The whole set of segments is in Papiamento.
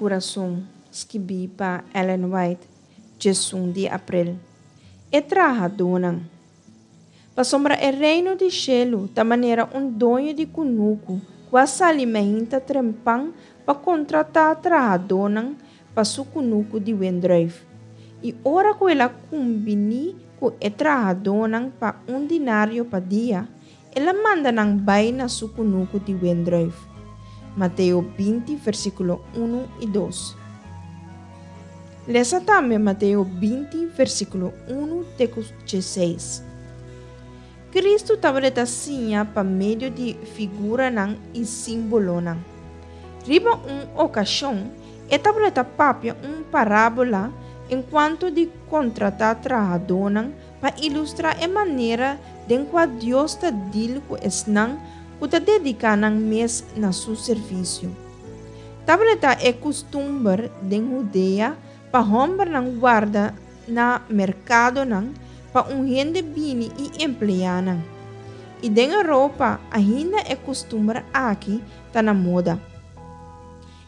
Kurason, skibí pa Ellen White, 11 di aprel. E trahadónan. Pasobra e Reino di shelu ta manera un doño di kunuku ku a sali mainta trempan pa kontratá trahadónan pa su kunuku di wendrùif. I ora ku el a kumbiní ku e trahadónan pa un dinario pa dia, el a manda nan bai na su kunuku di wendrùif. Mateo 20, versíkulo 1 i 2. Lesa tambe Mateo 20, versíkulo 1 te ku 16. Kristu tabata siña pa medio di figuranan i símbolonan. Riba un okashon, e tabata papia un parábola enkuanto di kontratá trahadónan pa ilustrá e manera den kua Dios ta dil ku esnan ku ta dediká nan mes na su servisio. Tabata e kustumber den Hudea pa hòmbernan warda na merkadonan pa un hende bini i empleá nan. I den Europa ainda e kustumber aki ta na moda.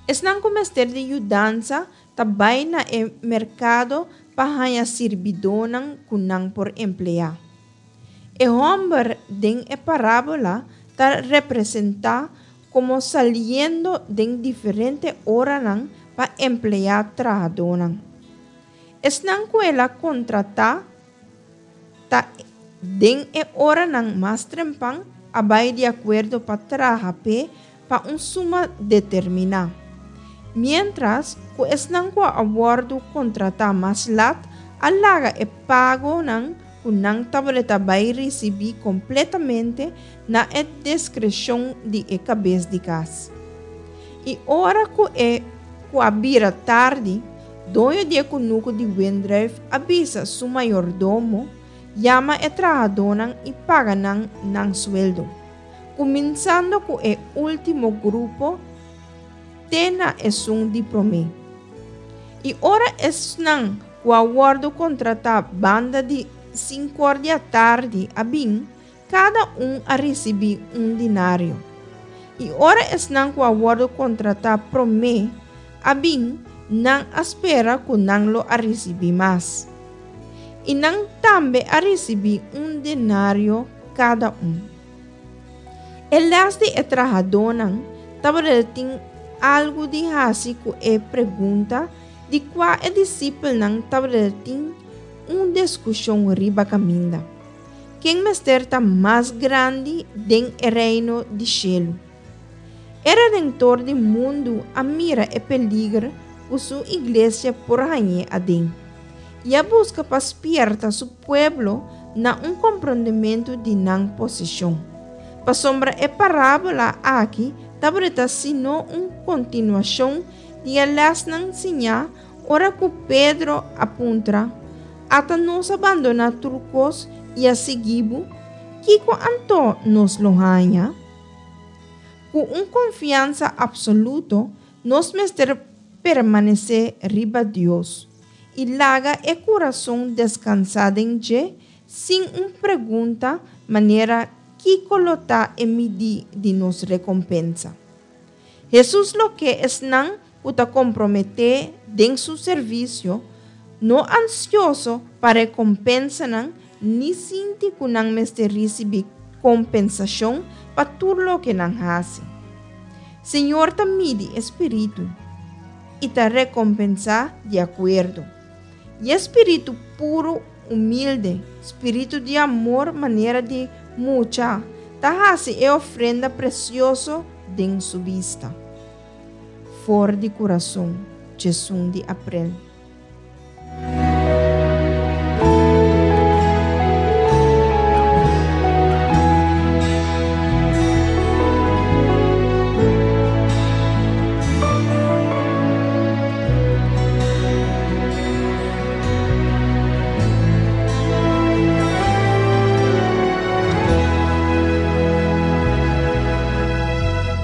Esnan ku mester di yudansa ta bai na e merkado pa haña sirbidónan ku nan por empleá. E hòmber den e parábola ta representá komo saliendo den diferente oranan pa empleá trahadónan. Esnan ku el a kontratá ta den e oranan mas trempan a bai di akuerdo pa traha p'e pa un suma determiná. Miéntras ku esnan ku a wòrdu kontratá mas lat a laga e pagonan ku nan tabata bai risibí kompletamente na e diskreshon di e kabes di kas. I ora ku e ku a bira tardi, doño di e kunuku di wendrùif a bisa su mayordomo, Yama e trahadónan i paga nan nan sueldo, kuminsando ku e último grupo te na esun di promé. I ora esnan ku a wòrdu kontratá banda di sinkor di atardi a bin, Kada un a risibí un dinario. I ora esnan ku a wòrdu kontratá promé a bin, nan a spera ku nan lo a risibí mas. I nan tambe a risibí un denario kada un. E lès di e trahadónan tabata tin algu di hasi ku e pregunta di kua e disipelnan tabata tin un diskushon riba kaminda. Ken mester ta mas grandi den e Reino di shelu? E Redentor di mundu a mira e peliger ku su iglesia por hañ'é aden, i a buska pa spierta su pueblo na un komprondementu di nan posishon. Pasobra e parábola aki tabata sino un kontinuashon di e lèsnan siñá Ora ku Pedro a puntra, Ata nos a bandoná tur kos i a sigui bo, kiko anto nos lo haña? Ku un konfiansa apsoluto nos mester permanesé riba Dios i laga e kurason deskansá den dje sin un pregunta manera kiko lo ta e midí di nos rekompensa. Hesus lo ke esnan ku ta komprometé den su servisio, no ansioso pa rekompensanan ni sinti ku nan mester risibí kompensashon pa tur loke nan hasi. Señor ta midi e spiritu i ta rekompensá di akuerdo. I e spiritu puru, humilde, spiritu di amor manera di mucha, ta hasi e ofrenda presioso den su bista. For di kurason, 11 di aprel.